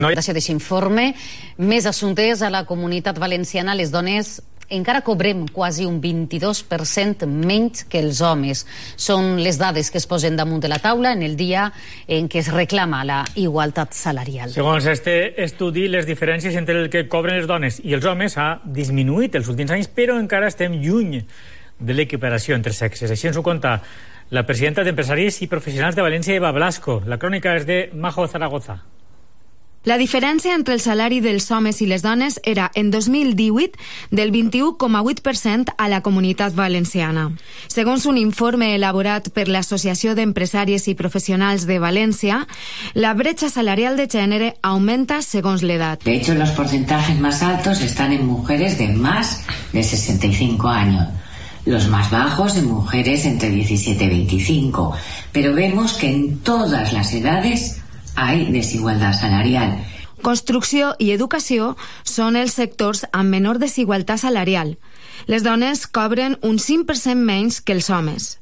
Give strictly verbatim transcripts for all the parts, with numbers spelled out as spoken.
Deixa d'aquest informe, més assumptes a la Comunitat Valenciana, les dones encara cobrem quasi un vint-i-dos per cent menys que els homes. Són les dades que es posen damunt de la taula en el dia en què es reclama la igualtat salarial. Segons este estudi, les diferències entre el que cobren les dones i els homes ha disminuït els últims anys, però encara estem lluny de l'equiparació entre sexes. Així ens ho conta la presidenta d'Empresaris i Professionals de València, Eva Blasco. La crònica és de Majo Zaragoza. La diferència entre el salari dels homes i les dones era, en dos mil divuit, del vint-i-u coma vuit per cent a la Comunitat Valenciana. Segons un informe elaborat per l'Associació d'Empresàries i Professionals de València, la brecha salarial de gènere aumenta segons l'edat. De hecho, los porcentajes más altos están en mujeres de más de sesenta y cinco años. Los más bajos en mujeres entre diecisiete y veinticinco. Pero vemos que en todas las edades hay desigualdad salarial. Construcció i educació són els sectors amb menor desigualtat salarial. Les dones cobren un cinc per cent menys que els homes.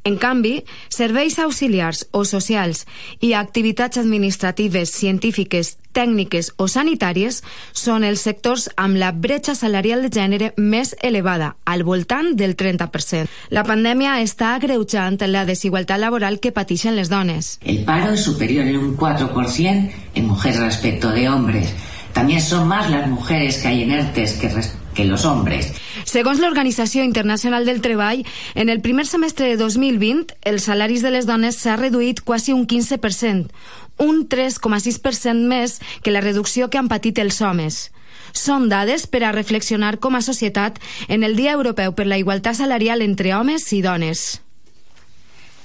En canvi, serveis auxiliars o socials i activitats administratives, científiques, tècniques o sanitàries són els sectors amb la bretxa salarial de gènere més elevada, al voltant del trenta per cent. La pandèmia està agreujant la desigualtat laboral que pateixen les dones. El paro es superior en un cuatro por ciento en mujeres respecto de hombres. También son más las mujeres que hay en ERTES que respecto que los hombres. Segons l'Organització Internacional del Treball, en el primer semestre de dos mil vint, els salaris de les dones s'ha reduït quasi un quinze per cent, un tres coma sis per cent més que la reducció que han patit els homes. Són dades per a reflexionar com a societat en el Dia Europeu per la Igualtat Salarial entre homes i dones.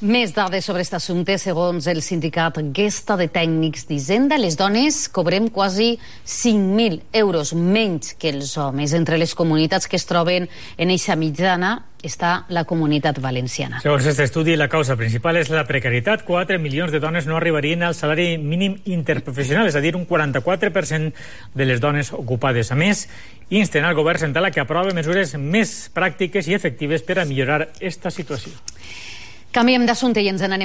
Més dades sobre aquest assumpte. Segons el sindicat Gesta de Tècnics d'Hisenda, les dones cobrem quasi cinc mil euros menys que els homes. Entre les comunitats que es troben en eixa mitjana està la Comunitat Valenciana. Segons aquest estudi, la causa principal és la precarietat. quatre milions de dones no arribarien al salari mínim interprofessional, és a dir, un quaranta-quatre per cent de les dones ocupades. A més, insten al govern central a que aprove mesures més pràctiques i efectives per a millorar aquesta situació. Canviem d'assumpte i ens n'anem